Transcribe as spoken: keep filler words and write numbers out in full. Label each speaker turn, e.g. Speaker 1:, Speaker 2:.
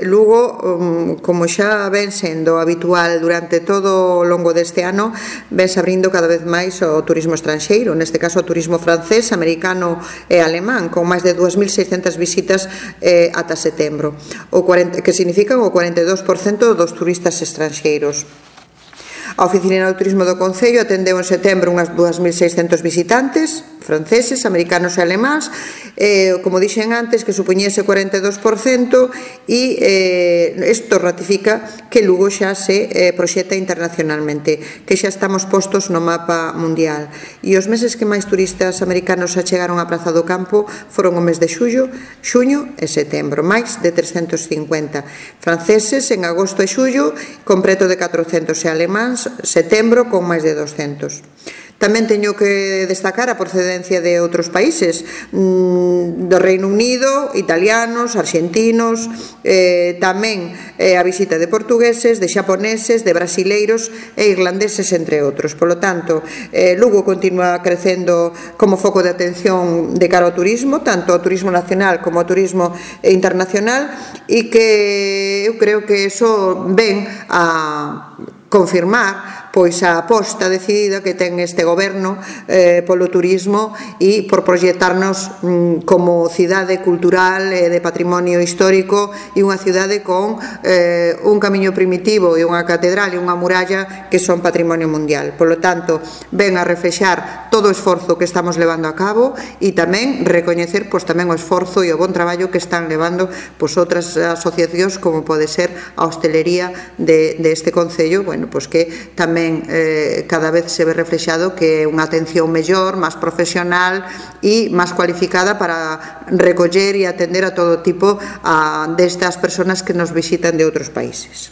Speaker 1: Lugo, como xa ven sendo habitual durante todo o longo deste ano, vense abrindo cada vez máis o turismo estranxeiro, neste caso o turismo francés, americano e alemán, con máis de dúas mil seiscentas visitas eh, ata setembro, o cuarenta, que significan o cuarenta e dous por cento dos turistas estranxeiros. A Oficina do Turismo do Concello atendeu en setembro unhas dúas mil seiscentos visitantes franceses, americanos e alemáns, eh, como dixen antes, que supoñese cuarenta e dous por cento, e eh, isto ratifica que Lugo xa se eh, proxeta internacionalmente, que xa estamos postos no mapa mundial. E os meses que máis turistas americanos achegaron á Praza do Campo foron o mes de xullo, xuño e setembro, máis de trescentos cincuenta. Franceses en agosto e xullo con preto de catrocentos, e alemáns setembro con máis de doscentos. Tamén teño que destacar a procedencia de outros países, do Reino Unido, italianos, arxentinos, eh, tamén eh, a visita de portugueses, de xaponeses, de brasileiros e irlandeses, entre outros. Polo tanto, eh, Lugo continúa crecendo como foco de atención de cara ao turismo, tanto ao turismo nacional como ao turismo internacional, e que eu creo que iso ven a confirmar pois a aposta decidida que ten este goberno eh, polo turismo e por proxectarnos mm, como cidade cultural e eh, de patrimonio histórico, e unha cidade con eh, un camiño primitivo e unha catedral e unha muralla que son patrimonio mundial. Polo tanto, ven a reflexar todo o esforzo que estamos levando a cabo e tamén recoñecer pois tamén o esforzo e o bon traballo que están levando pois outras asociacións, como pode ser a hostelería de, de este concello, bueno, pois que tamén Eh, cada vez se ve reflexado que é unha atención mellor, máis profesional e máis cualificada para recoller e atender a todo tipo a, destas persoas que nos visitan de outros países.